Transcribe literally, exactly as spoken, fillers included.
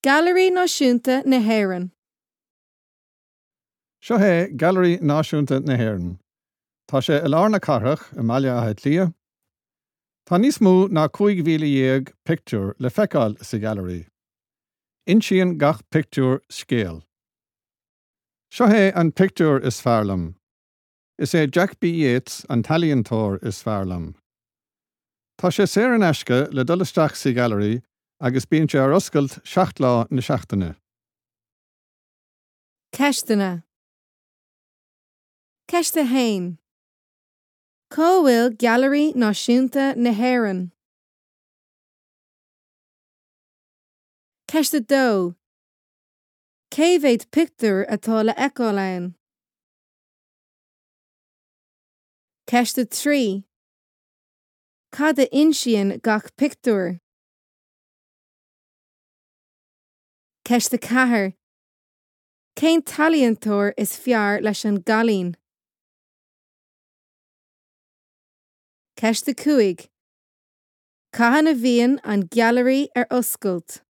Gailearaí Náisiúnta na hÉireann. Seo é Gailearaí Náisiúnta na hÉireann. Tá sé i lár na cathrach i mBaile Átha Cliath. Tá níos mó ná cúig mhíle dhéag pictiúr le feiceáil sa ghailearaí. Insíonn gach pictiúr scéal. Seo é an pictiúr is fearr liom. Is é Jack B. Yeats an t-ealaíontóir is fearr liom. Tá sé saor in aisce le dul isteach sa ghailearaí agus bíonn sé ar oscailt seacht lá na seachtaine. Ceisteanna. Ceist a haon. Cá bhfuil Gailearaí Náisiúnta na hÉireann? Ceist a dó. Cé mhéad pictiúr atá le feiceáil ann? Ceist a trí. Cad a insíonn gach pictiúr? Ceist a ceathair. Cén t-ealaíontóir is fearr leis an gcailín? Ceist a cúig. Cathain a bhíonn an Gailearaí ar oscailt?